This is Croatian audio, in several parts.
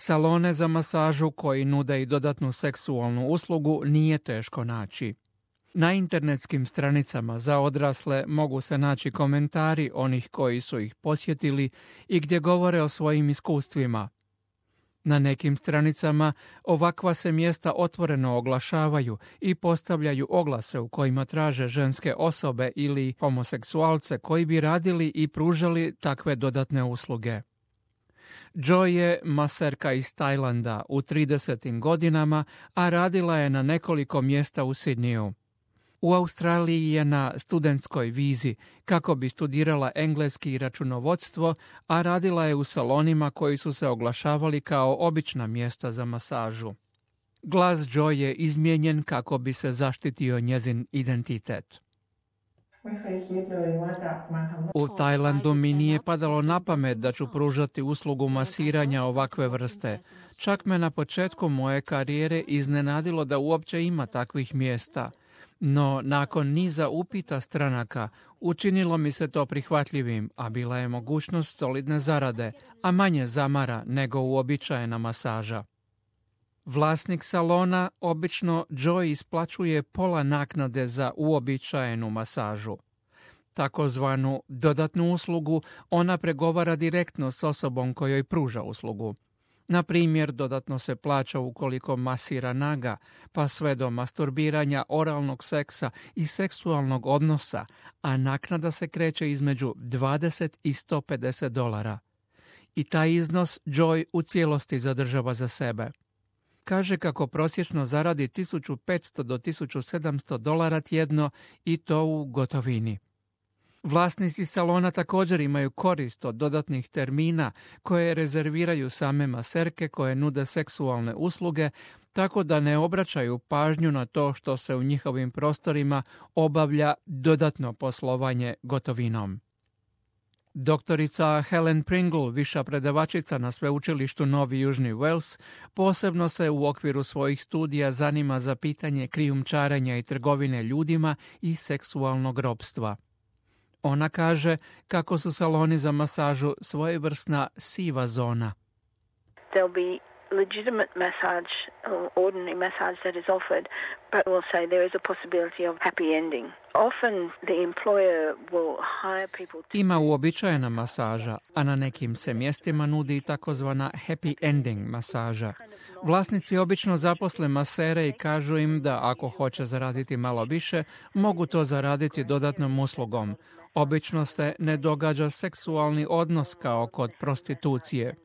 Salone za masažu koji nude i dodatnu seksualnu uslugu nije teško naći. Na internetskim stranicama za odrasle mogu se naći komentari onih koji su ih posjetili i gdje govore o svojim iskustvima. Na nekim stranicama ovakva se mjesta otvoreno oglašavaju i postavljaju oglase u kojima traže ženske osobe ili homoseksualce koji bi radili i pružali takve dodatne usluge. Joy je maserka iz Tajlanda u 30. godinama, a radila je na nekoliko mjesta u Sidniju. U Australiji je na studentskoj vizi kako bi studirala engleski i računovodstvo, a radila je u salonima koji su se oglašavali kao obična mjesta za masažu. Glas Joy je izmijenjen kako bi se zaštitio njezin identitet. U Tajlandu mi nije padalo na pamet da ću pružati uslugu masiranja ovakve vrste. Čak me na početku moje karijere iznenadilo da uopće ima takvih mjesta. No, nakon niza upita stranaka, učinilo mi se to prihvatljivim, a bila je mogućnost solidne zarade, a manje zamara nego uobičajena masaža. Vlasnik salona obično Joy isplaćuje pola naknade za uobičajenu masažu. Takozvanu dodatnu uslugu ona pregovara direktno s osobom kojoj pruža uslugu. Na primjer, dodatno se plaća ukoliko masira naga, pa sve do masturbiranja, oralnog seksa i seksualnog odnosa, a naknada se kreće između $20 i $150. I taj iznos Joy u cijelosti zadržava za sebe. Kaže kako prosječno zaradi $1500 do $1700 tjedno i to u gotovini. Vlasnici salona također imaju korist od dodatnih termina koje rezerviraju same maserke koje nude seksualne usluge, tako da ne obraćaju pažnju na to što se u njihovim prostorima obavlja dodatno poslovanje gotovinom. Doktorica Helen Pringle, viša predavačica na sveučilištu Novi Južni Wales, posebno se u okviru svojih studija zanima za pitanje krijumčarenja i trgovine ljudima i seksualnog ropstva. Ona kaže kako su saloni za masažu svojevrsna siva zona. There'll be legitimate massage or ordinary massage that is offered, but also there is a possibility of happy ending. Often the employer will hire people to... Ima uobičajena masaža, a na nekim se mjestima nudi takozvana happy ending masaža. Vlasnici obično zaposle masere i kažu im da ako hoće zaraditi malo više, mogu to zaraditi dodatnom uslugom. Obično se ne događa seksualni odnos kao kod prostitucije.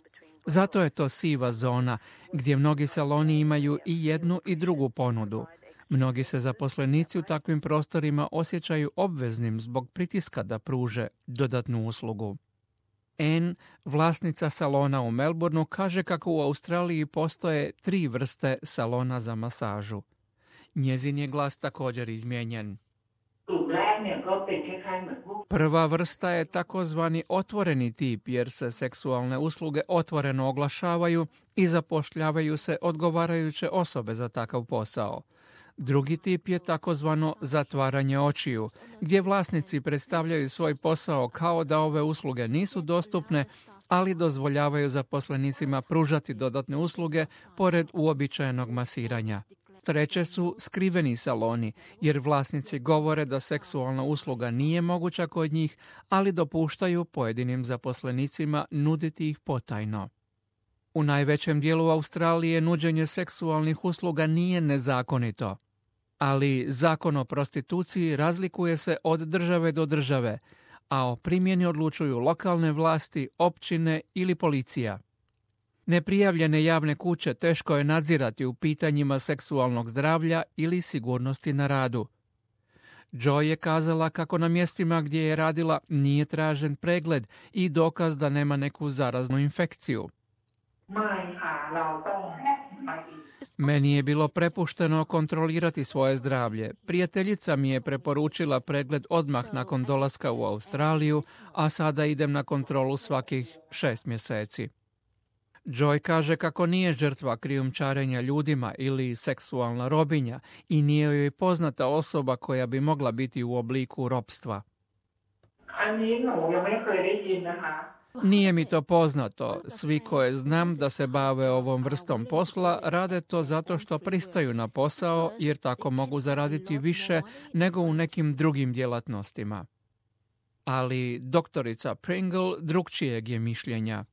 Zato je to siva zona, gdje mnogi saloni imaju i jednu i drugu ponudu. Mnogi se zaposlenici u takvim prostorima osjećaju obveznim zbog pritiska da pruže dodatnu uslugu. Anne, vlasnica salona u Melbourneu, kaže kako u Australiji postoje 3 vrste salona za masažu. Njezin je glas također izmijenjen. Prva vrsta je takozvani otvoreni tip jer se seksualne usluge otvoreno oglašavaju i zapošljavaju se odgovarajuće osobe za takav posao. Drugi tip je takozvano zatvaranje očiju, gdje vlasnici predstavljaju svoj posao kao da ove usluge nisu dostupne, ali dozvoljavaju zaposlenicima pružati dodatne usluge pored uobičajenog masiranja. Treće su skriveni saloni, jer vlasnici govore da seksualna usluga nije moguća kod njih, ali dopuštaju pojedinim zaposlenicima nuditi ih potajno. U najvećem dijelu Australije nuđenje seksualnih usluga nije nezakonito, ali zakon o prostituciji razlikuje se od države do države, a o primjeni odlučuju lokalne vlasti, općine ili policija. Neprijavljene javne kuće teško je nadzirati u pitanjima seksualnog zdravlja ili sigurnosti na radu. Joy je kazala kako na mjestima gdje je radila nije tražen pregled i dokaz da nema neku zaraznu infekciju. Meni je bilo prepušteno kontrolirati svoje zdravlje. Prijateljica mi je preporučila pregled odmah nakon dolaska u Australiju, a sada idem na kontrolu svakih 6 mjeseci. Joy kaže kako nije žrtva krijumčarenja ljudima ili seksualna robinja i nije joj poznata osoba koja bi mogla biti u obliku ropstva. Nije mi to poznato. Svi koje znam da se bave ovom vrstom posla rade to zato što pristaju na posao jer tako mogu zaraditi više nego u nekim drugim djelatnostima. Ali doktorica Pringle drukčijeg je mišljenja.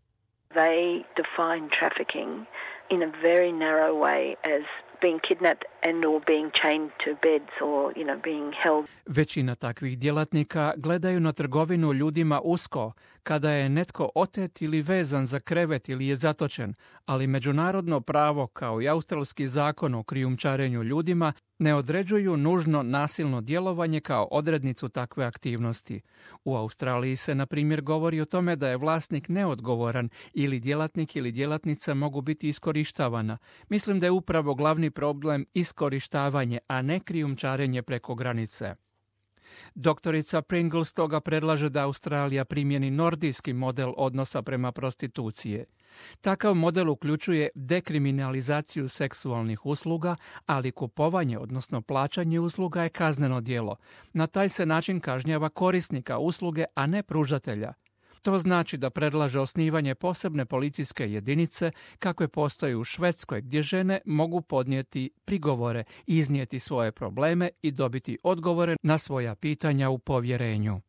They define trafficking in a very narrow way as being kidnapped and or being chained to beds or, being held. Većina takvih djelatnika gledaju na trgovinu ljudima usko, kada je netko otet ili vezan za krevet ili je zatočen, ali međunarodno pravo kao i australski zakon o krijumčarenju ljudima ne određuju nužno nasilno djelovanje kao odrednicu takve aktivnosti. U Australiji se, na primjer, govori o tome da je vlasnik neodgovoran ili djelatnik ili djelatnica mogu biti iskorištavana. Mislim da je upravo glavni problem iskorištavanje, a ne krijumčarenje preko granice. Doktorica Pringle stoga predlaže da Australija primjeni nordijski model odnosa prema prostitucije. Takav model uključuje dekriminalizaciju seksualnih usluga, ali kupovanje, odnosno plaćanje usluga je kazneno djelo. Na taj se način kažnjava korisnika usluge, a ne pružatelja. To znači da predlaže osnivanje posebne policijske jedinice kakve postoje u Švedskoj, gdje žene mogu podnijeti prigovore, iznijeti svoje probleme i dobiti odgovore na svoja pitanja u povjerenju.